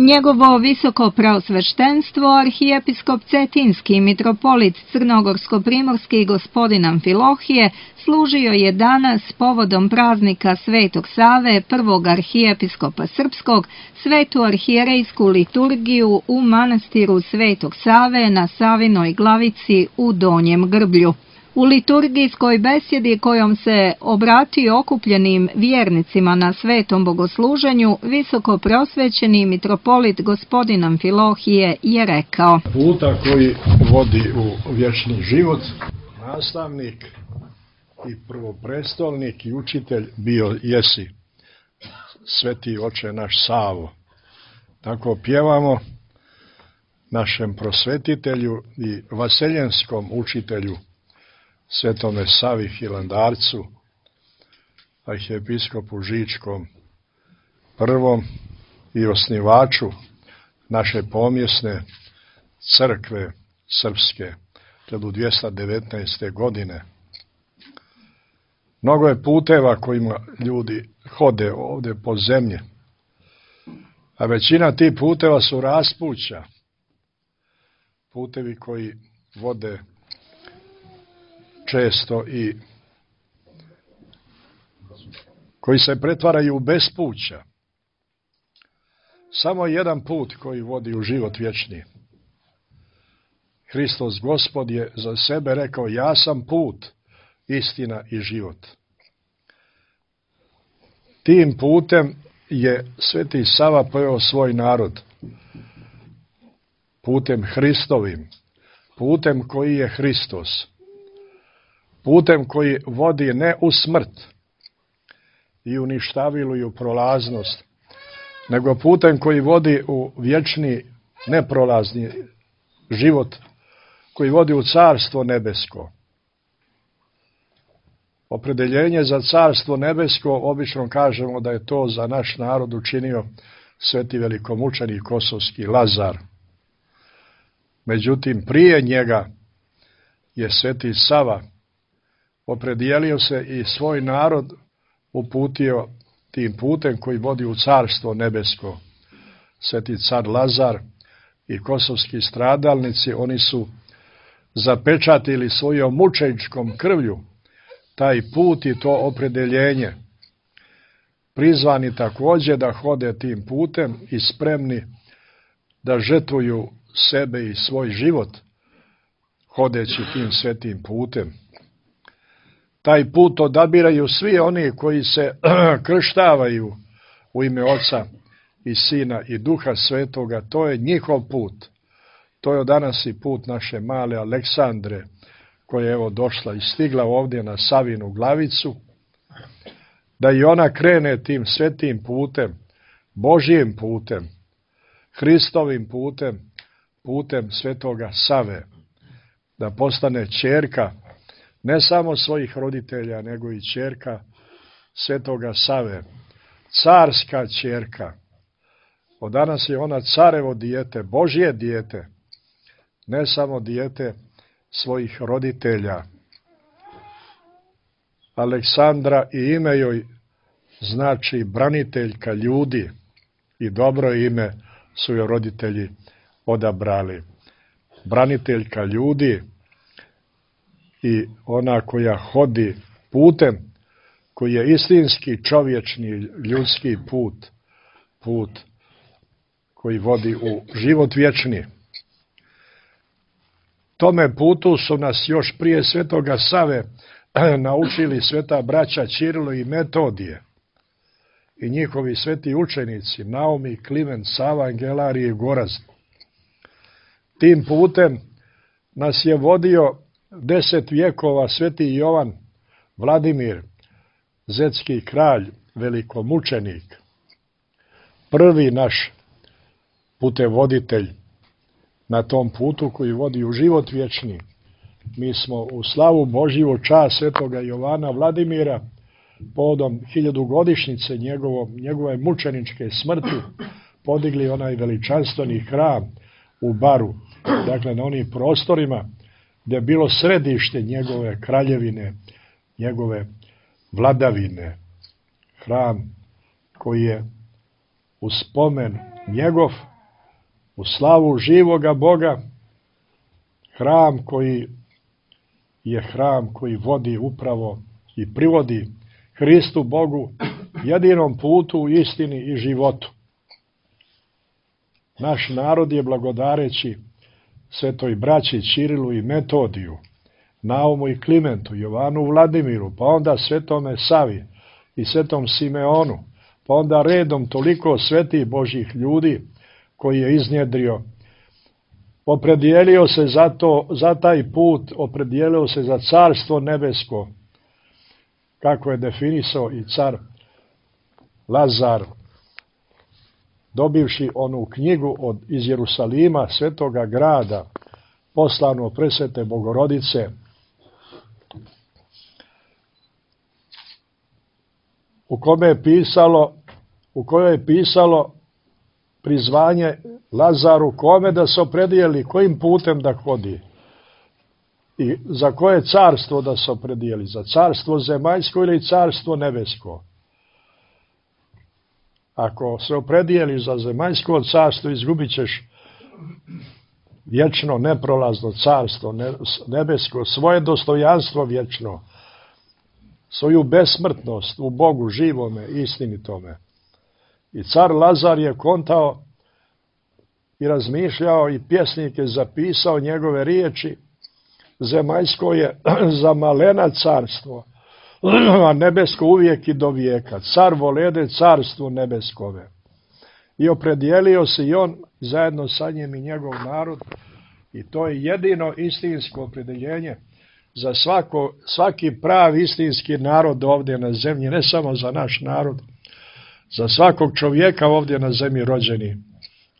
Njegovo visoko preosveštenstvo, arhijepiskop Cetinski i mitropolit Crnogorsko-primorski gospodin Amfilohije, služio je danas povodom praznika Svetog Save, prvog arhijepiskopa srpskog, svetu arhijerejsku liturgiju u manastiru Svetog Save na Savinoj Glavici u Donjem Grblju. U liturgijskoj besjedi kojom se obratio okupljenim vjernicima na svetom bogosluženju, visoko preosvećeni mitropolit gospodin Amfilohije je rekao: Puta koji vodi u vječni život, nastavnik i prvoprestolnik i učitelj bio jesi, sveti oče naš Savo. Tako pjevamo našem prosvetitelju i vaseljenskom učitelju, Svetome Savi Hilandarcu, arhijepiskopu Žičkom prvom i osnivaču naše pomjesne crkve srpske 1219. godine. Mnogo je puteva kojima ljudi hode ovdje po zemlji, a većina tih puteva su raspuća, putevi koji vode često i koji se pretvaraju u bespuća. Samo jedan put koji vodi u život vječni. Hristos Gospod je za sebe rekao: ja sam put, istina i život. Tim putem je sveti Sava poveo svoj narod. Putem Hristovim, putem koji je Hristos. Putem koji vodi ne u smrt i uništavilu i u prolaznost, nego putem koji vodi u vječni neprolazni život, koji vodi u carstvo nebesko. Opredeljenje za carstvo nebesko obično kažemo da je to za naš narod učinio sveti velikomučenik kosovski Lazar. Međutim, prije njega je sveti Sava opredijelio se i svoj narod uputio tim putem koji vodi u carstvo nebesko. Sveti car Lazar i kosovski stradalnici, oni su zapečatili svojom mučeničkom krvlju taj put i to opredeljenje. Prizvani također da hode tim putem i spremni da žrtvuju sebe i svoj život hodeći tim svetim putem. Taj put odabiraju svi oni koji se krštavaju u ime Oca i Sina i Duha Svetoga. To je njihov put. To je danas i put naše male Aleksandre, koja je evo došla i stigla ovdje na Savinu Glavicu, da i ona krene tim svetim putem, Božjim putem, Hristovim putem, putem svetoga Save, da postane ćerka ne samo svojih roditelja, nego i ćerka svetoga Save, carska ćerka. Od danas je ona carevo dijete, Božje dijete, ne samo dijete svojih roditelja. Aleksandra i ime joj znači braniteljka ljudi i dobro ime su joj roditelji odabrali. Braniteljka ljudi i ona koja hodi putem koji je istinski čovječni ljudski put, put koji vodi u život vječni. Tome putu su nas još prije svetoga Save naučili sveta braća Ćirilo i Metodije i njihovi sveti učenici Naumi, Kliment, Sava, Angelarije i Gorazd. Tim putem nas je vodio 10 vjekova sveti Jovan Vladimir, zetski kralj, velikomučenik, prvi naš putevoditelj na tom putu koji vodi u život vječni. Mi smo u slavu Božju čast svetoga Jovana Vladimira povodom 1000-godišnjice njegove mučeničke smrti podigli onaj veličanstveni hram u Baru, dakle na onim prostorima gdje je bilo središte njegove kraljevine, njegove vladavine. Hram koji je u spomen njegov, u slavu živoga Boga, hram koji je hram koji vodi upravo i privodi Hristu Bogu, jedinom putu, istini i životu. Naš narod je blagodareći svetoj braći Ćirilu i Metodiju, Naumu i Klimentu, Jovanu Vladimiru, pa onda svetome Savi i svetom Simeonu, pa onda redom toliko svetih Božjih ljudi koji je iznjedrio, opredijelio se za taj put, opredijelio se za carstvo nebesko, kako je definisao i car Lazar, dobivši onu knjigu iz Jerusalima, svetoga grada, poslano od presvete Bogorodice, u kojoj je pisalo prizvanje Lazaru, kome da se opredijeli, kojim putem da hodi i za koje carstvo da se opredijeli, za carstvo zemaljsko ili carstvo nebesko. Ako se opredijeliš za zemaljsko carstvo, izgubit ćeš vječno neprolazno carstvo nebesko, svoje dostojanstvo vječno, svoju besmrtnost u Bogu živome, istinitome. I car Lazar je kontao i razmišljao i pjesnike zapisao njegove riječi: zemaljsko je za malena carstvo, a nebesko uvijek i do vijeka. Car volede carstvo nebeskove. I opredijelio se i on zajedno sa njim i njegov narod, i to je jedino istinsko opredeljenje za svaki pravi istinski narod ovdje na zemlji, ne samo za naš narod, za svakog čovjeka ovdje na zemlji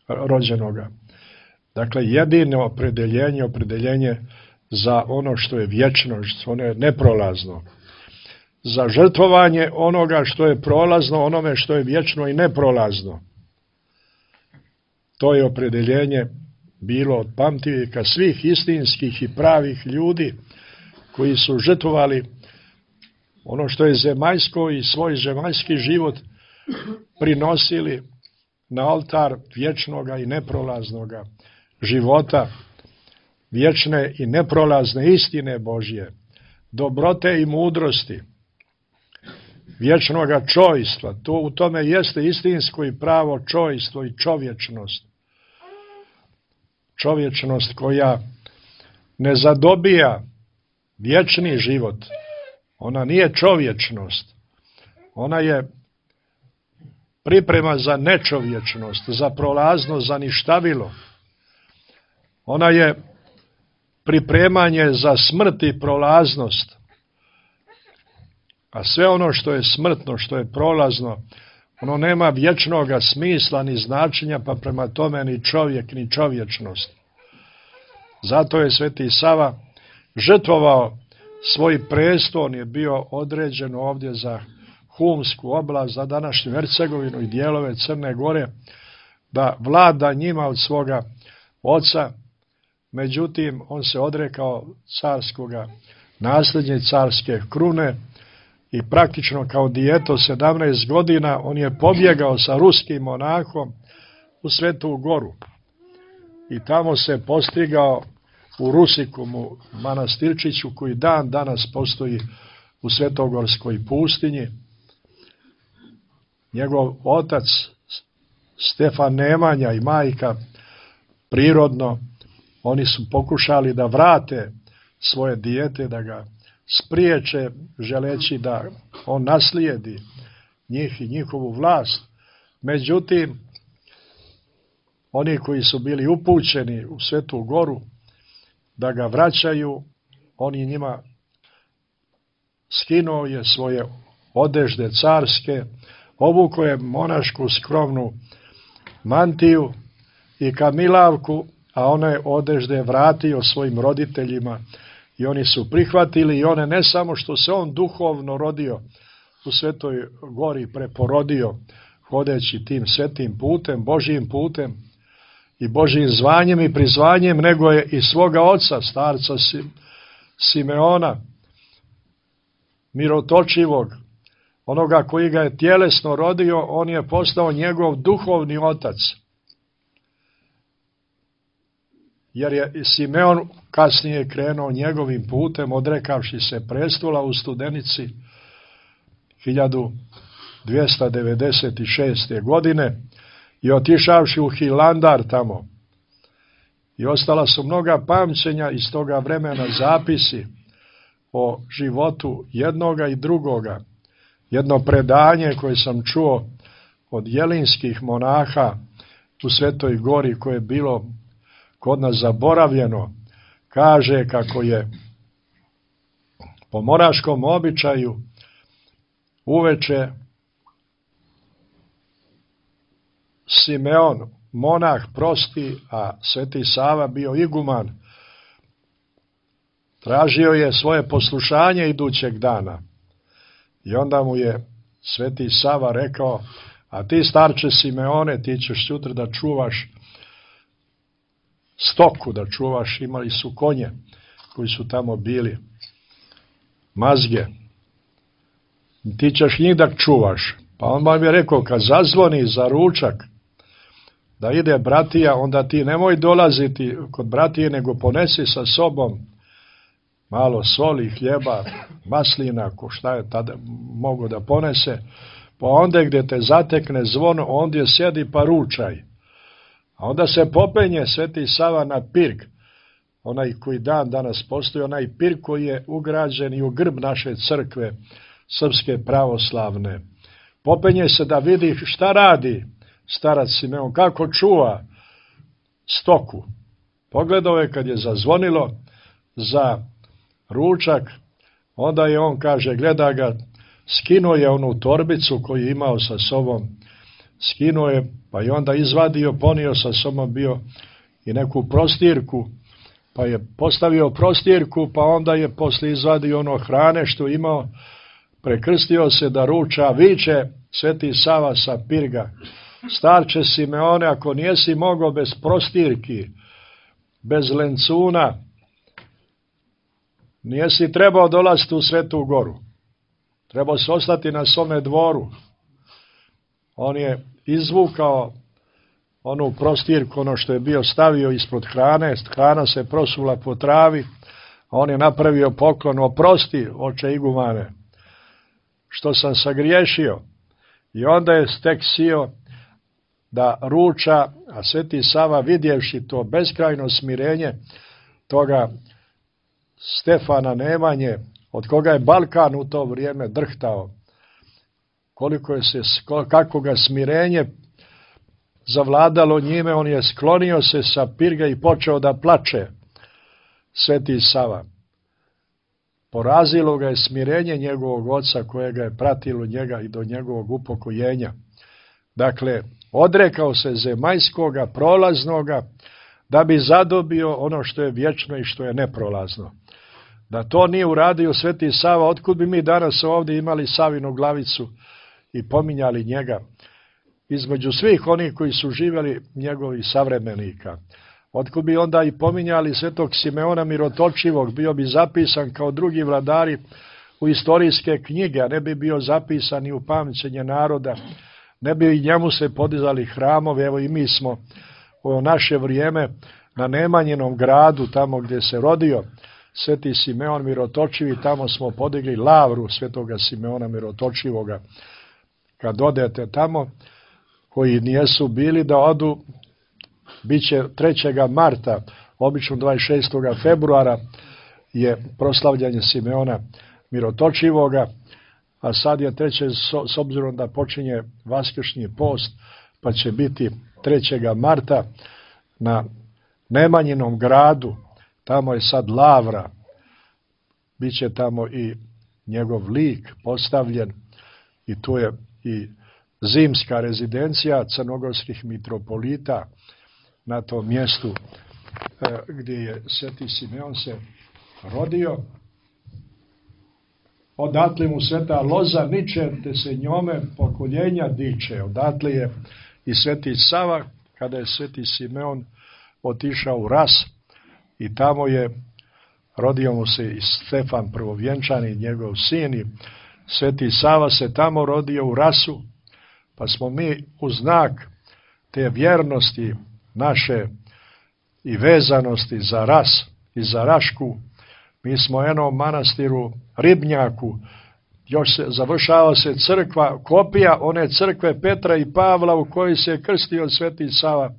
rođenoga. Dakle, jedino opredeljenje za ono što je vječno, što je neprolazno. Za žrtvovanje onoga što je prolazno, onome što je vječno i neprolazno. To je opredeljenje bilo od pamtivijeka svih istinskih i pravih ljudi koji su žrtvovali ono što je zemaljsko i svoj zemaljski život prinosili na oltar vječnoga i neprolaznoga života, vječne i neprolazne istine Božje, dobrote i mudrosti, vječnoga čojstva. To u tome jeste istinsko i pravo čojstvo i čovječnost. Čovječnost koja ne zadobija vječni život. Ona nije čovječnost. Ona je priprema za nečovječnost, za prolaznost, za ništavilo. Ona je pripremanje za smrt i prolaznost. A sve ono što je smrtno, što je prolazno, ono nema vječnoga smisla ni značenja, pa prema tome ni čovjek, ni čovječnost. Zato je sveti Sava žrtvovao svoj preston, je bio određen ovdje za Humsku oblast, za današnju Hercegovinu i dijelove Crne Gore, da vlada njima od svoga oca. Međutim, on se odrekao carskoga nasljednje, carske krune, i praktično kao dijeto 17 godina on je pobjegao sa ruskim monahom u Svetu Goru. I tamo se postigao u Rusikumu, manastirčiću koji dan danas postoji u Svetogorskoj pustinji. Njegov otac Stefan Nemanja i majka prirodno, oni su pokušali da vrate svoje dijete, da ga spriječe, želeći da on naslijedi njih i njihovu vlast. Međutim, oni koji su bili upućeni u Svetu Goru da ga vraćaju, oni njima skinuo je svoje odežde carske, obukao je monašku skromnu mantiju i kamilavku, a one odežde vratio svojim roditeljima i oni su prihvatili, i one ne samo što se on duhovno rodio u Svetoj Gori, preporodio hodeći tim svetim putem, Božjim putem i Božjim zvanjem i prizvanjem, nego je i svoga oca, starca Simeona, mirotočivog, onoga koji ga je tjelesno rodio, on je postao njegov duhovni otac. Jer je Simeon kasnije krenuo njegovim putem, odrekavši se prestola u Studenici 1296. godine i otišavši u Hilandar tamo. I ostala su mnoga pamćenja iz toga vremena, zapisi o životu jednoga i drugoga. Jedno predanje koje sam čuo od jelinskih monaha u Svetoj Gori, koje je bilo kod nas zaboravljeno, kaže kako je po monaškom običaju uveče Simeon, monah prosti, a Sveti Sava bio iguman, tražio je svoje poslušanje idućeg dana. I onda mu je Sveti Sava rekao: a ti, starče Simeone, ti ćeš sutra da čuvaš stoku, da čuvaš, imali su konje koji su tamo bili, mazge. Ti ćeš njih da čuvaš. Pa on vam je rekao, kad zazvoni za ručak, da ide bratija, onda ti nemoj dolaziti kod bratije, nego ponesi sa sobom malo soli, hljeba, maslina, ko šta je tada mogo da ponese, pa onda gdje te zatekne zvono, ondje sjedi pa ručaj. A onda se popenje Sveti Sava na pirg, onaj koji dan danas postoji, onaj pirg koji je ugrađen i u grb naše crkve, srpske pravoslavne. Popenje se da vidi šta radi starac Simeon, kako čuva stoku. Pogledao je kad je zazvonilo za ručak, onda je on, kaže, gleda ga, skinuo je onu torbicu koju je imao sa sobom, skinuo je, pa je onda izvadio, ponio sa sobom bio i neku prostirku, pa je postavio prostirku, pa onda je poslije izvadio ono hrane što je imao, prekrstio se da ruča, viče Sveti Sava sa pirga: starče Simeone, ako nijesi mogao bez prostirki, bez lencuna, nijesi trebao dolaziti u Svetu Goru. Trebao se ostati na svome dvoru. On je izvukao onu prostirku, ono što je bio stavio ispod hrane, hrana se prosula po travi, a on je napravio poklon: oprosti, oče igumane, što sam sagriješio. I onda je tek sio da ruča, a Sveti Sava, vidjevši to beskrajno smirenje toga Stefana Nemanje, od koga je Balkan u to vrijeme drhtao, kako ga smirenje zavladalo njime, on je sklonio se sa pirga i počeo da plače. Sveti Sava. Porazilo ga je smirenje njegovog oca koje ga je pratilo njega i do njegovog upokojenja. Dakle, odrekao se zemaljskoga, prolaznoga, da bi zadobio ono što je vječno i što je neprolazno. Da to nije uradio Sveti Sava, otkud bi mi danas ovdje imali Savinu glavicu i pominjali njega između svih onih koji su živjeli njegovih savremenika? Otkud bi onda i pominjali Svetog Simeona Mirotočivog, bio bi zapisan kao drugi vladari u istorijske knjige, a ne bi bio zapisan i u pamćenje naroda, ne bi i njemu se podizali hramove. Evo i mi smo u naše vrijeme na Nemanjinom gradu, tamo gdje se rodio Sveti Simeon Mirotočivi, tamo smo podigli lavru Svetoga Simeona Mirotočivoga. Kad odete tamo, koji nijesu bili, da odu, bit će 3. marta, obično 26. februara je proslavljanje Simeona Mirotočivoga, a sad je 3. s obzirom da počinje vaskršnji post, pa će biti 3. marta na Nemanjinom gradu, tamo je sad lavra, bit će tamo i njegov lik postavljen i tu je i zimska rezidencija crnogorskih mitropolita na tom mjestu gdje je Sveti Simeon se rodio. Odatle mu sveta loza niče, te se njome pokoljenja diče. Odatle je i Sveti Sava, kada je Sveti Simeon otišao u Ras, i tamo je rodio mu se i Stefan Prvovjenčani, njegov sin, i Sveti Sava se tamo rodio u Rasu, pa smo mi u znak te vjernosti naše i vezanosti za Ras i za Rašku, mi smo u jednom manastiru Ribnjaku, još završava se crkva, kopija one crkve Petra i Pavla u kojoj se krstio Sveti Sava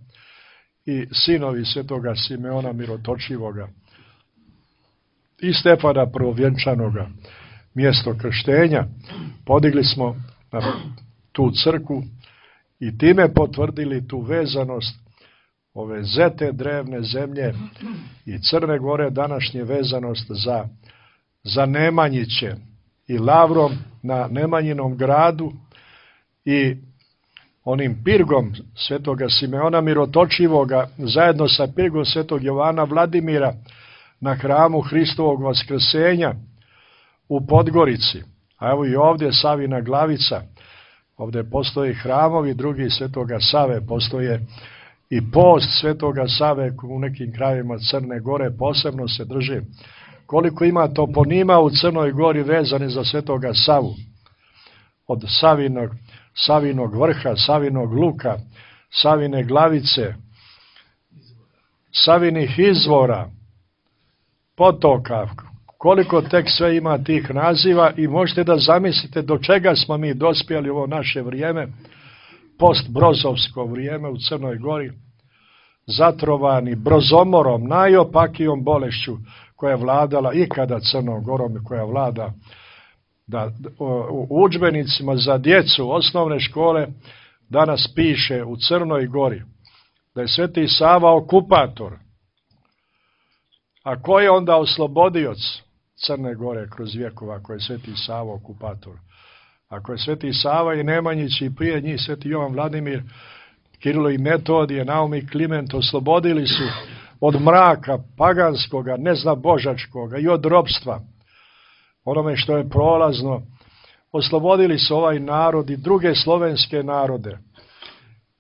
i sinovi Svetoga Simeona Mirotočivoga i Stefana Prvovjenčanoga, mjesto krštenja. Podigli smo na tu crkvu i time potvrdili tu vezanost ove zete drevne zemlje i Crne Gore, današnje vezanost za Nemanjiće i Lavrom na Nemanjinom gradu i onim pirgom Svetoga Simeona Mirotočivoga zajedno sa pirgom Svetog Jovana Vladimira na hramu Hristovog Vaskrsenja u Podgorici. A evo i ovdje Savina Glavica, ovdje postoje hramovi drugi Svetoga Save, postoje i post Svetoga Save u nekim krajevima Crne Gore posebno se drži. Koliko ima toponima u Crnoj Gori vezani za Svetoga Savu, od Savinog vrha, Savinog luka, Savine Glavice, Savinih izvora, potoka, koliko tek sve ima tih naziva i možete da zamislite do čega smo mi dospjeli u ovo naše vrijeme, postbrozovsko vrijeme u Crnoj Gori, zatrovani brozomorom, najopakijom bolešću koja je vladala ikada Crnom Gorom i koja vlada u udžbenicima za djecu osnovne škole danas piše u Crnoj Gori da je Sveti Sava okupator. A ko je onda oslobodioc Crne Gore kroz vjekova, ako je Sveti Sava okupator? Ako je Sveti Sava i Nemanjić i prije njih Sveti Jovan Vladimir, Kirilo i Metodije, Naum i Kliment oslobodili su od mraka paganskoga, neznabožačkoga i od ropstva, onome što je prolazno, oslobodili su ovaj narod i druge slovenske narode.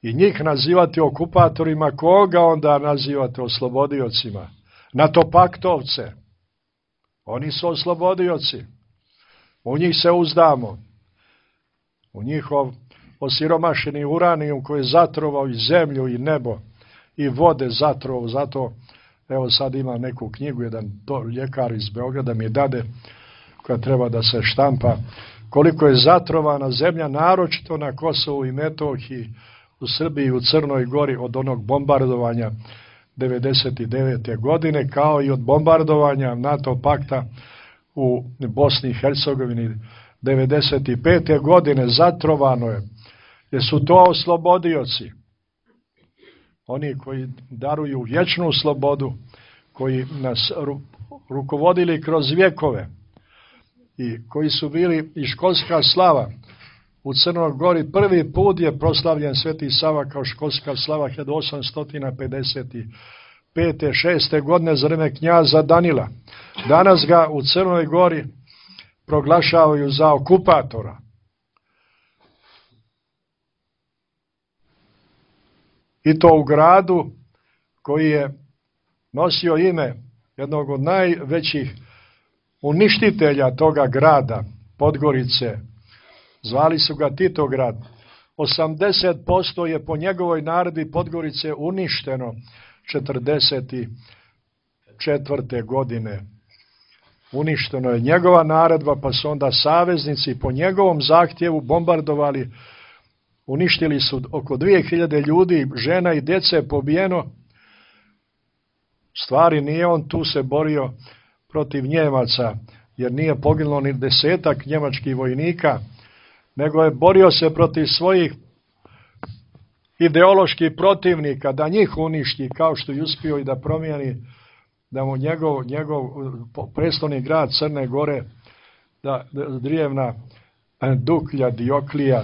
I njih nazivati okupatorima, koga onda nazivate oslobodiocima? Natopaktovce. Oni su oslobodioci. U njih se uzdamo. U njihov osiromašeni uranijum koji je zatrovao i zemlju i nebo i vode zatrovao. Zato, evo sad ima neku knjigu, jedan ljekar iz Beograda mi dade, koja treba da se štampa, koliko je zatrovana zemlja, naročito na Kosovu i Metohiji, u Srbiji i u Crnoj Gori od onog bombardovanja 99. godine, kao i od bombardovanja NATO pakta u Bosni i Hercegovini 95. godine. Zatrovano je, jer su to oslobodioci. Oni koji daruju vječnu slobodu, koji nas rukovodili kroz vjekove i koji su bili i školska slava. U Crnoj Gori prvi put je proslavljen Sveti Sava kao školska slava 1855. 6. godine za vreme knjaza Danila. Danas ga u Crnoj Gori proglašavaju za okupatora. I to u gradu koji je nosio ime jednog od najvećih uništitelja toga grada, Podgorice. Zvali su ga Titograd. 80% je po njegovoj naredbi Podgorice uništeno 44. godine. Uništeno je njegova naredba, pa su onda saveznici po njegovom zahtjevu bombardovali. Uništili su oko 2000 ljudi, žena i djece je pobijeno. Stvari nije on tu se borio protiv Njemaca, jer nije poginulo ni 10 njemačkih vojnika, nego je borio se protiv svojih ideoloških protivnika, da njih uništi, kao što je uspio i da promijeni, da mu njegov prestolni grad Crne Gore, da Drijevna Duklja, Dioklija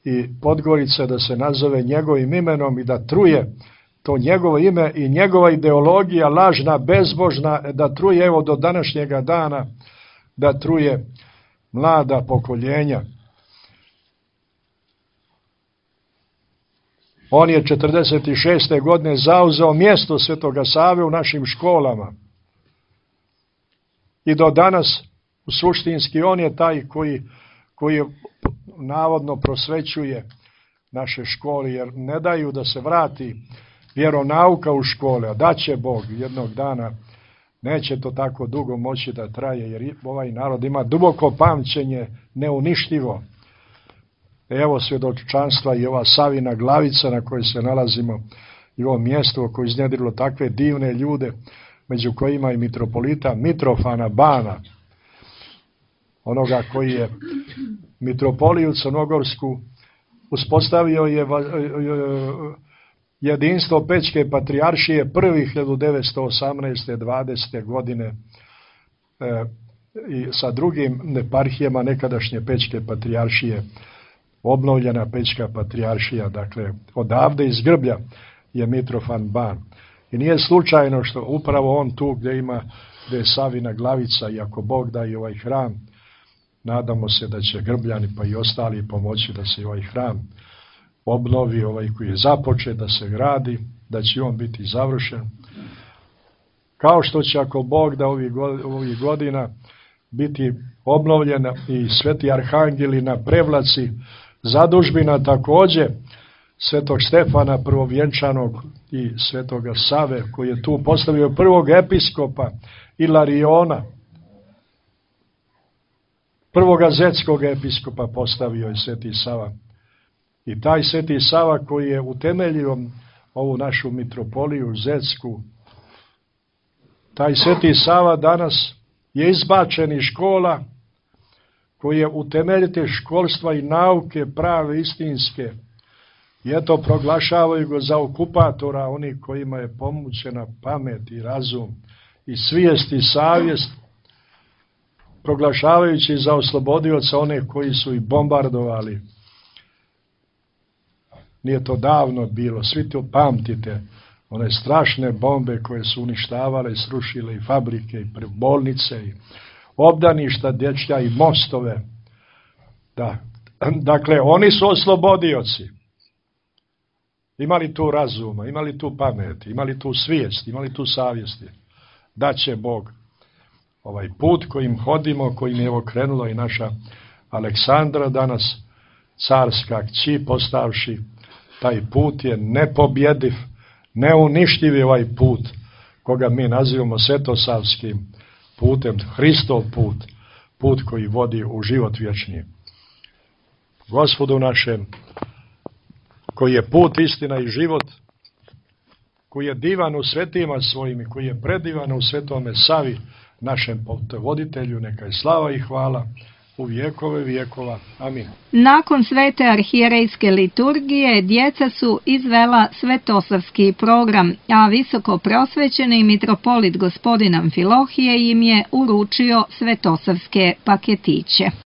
i Podgorica, da se nazove njegovim imenom i da truje to njegovo ime i njegova ideologija lažna, bezbožna, da truje evo do današnjega dana, da truje mlada pokoljenja. On je 46. godine zauzeo mjesto Svetoga Save u našim školama. I do danas suštinski on je taj koji navodno prosvećuje naše škole, jer ne daju da se vrati vjeronauka u škole, a daće Bog jednog dana. Neće to tako dugo moći da traje, jer ovaj narod ima duboko pamćenje, neuništivo. Evo svjedočanstva i ova Savina Glavica na kojoj se nalazimo, i ovo mjesto koje je iznjedrilo takve divne ljude, među kojima i mitropolita Mitrofana Bana, onoga koji je mitropoliju crnogorsku uspostavio je jedinstvo Pećke patrijaršije prvih 1918. 20. godine i sa drugim eparhijama nekadašnje Pećke patrijaršije, obnovljena Pećka patrijaršija, dakle odavde iz Grblja je Mitrofan Ban. I nije slučajno što upravo on tu gdje je Savina Glavica, i ako Bog da i ovaj hram, nadamo se da će Grbljani pa i ostali pomoći da se ovaj hram obnovi, ovaj koji je započet, da se gradi, da će on biti završen. Kao što će, ako Bog da ovih godina biti obnovljena i Sveti Arhangeli na Prevlaci, zadužbina također Svetog Stefana prvovjenčanog i Svetoga Save, koji je tu postavio prvog episkopa Ilariona, prvoga zetskog episkopa postavio je Sveti Sava. I taj Sveti Sava koji je utemeljio ovu našu mitropoliju zetsku, taj Sveti Sava danas je izbačen iz škola, koji je utemeljitelj školstva i nauke prave istinske. I eto proglašavaju ga za okupatora, oni kojima je pomućena pamet i razum i svijest i savjest, proglašavajući za oslobodioca one koji su i bombardovali. Nije to davno bilo, svi to pamtite, one strašne bombe koje su uništavale i srušile i fabrike i bolnice i obdaništa dječja i mostove. Da. Dakle, oni su oslobodioci. Imali tu razuma, imali tu pameti, imali tu svijest, imali tu savjesti. Da će Bog ovaj put kojim hodimo, kojim je okrenula i naša Aleksandra danas, carska kći, postavši, taj put je nepobjediv, neuništiv je ovaj put, koga mi nazivamo svetosavskim putem, Hristov put, put koji vodi u život vječni. Gospodu našem, koji je put, istina i život, koji je divan u svetima svojim i koji je predivan u Svetome Savi, našem voditelju, neka je slava i hvala u vjekove vjekova. Amin. Nakon svete arhijerejske liturgije djeca su izvela svetosavski program, a visoko prosvećeni mitropolit gospodin Amfilohije im je uručio svetosavske paketiće.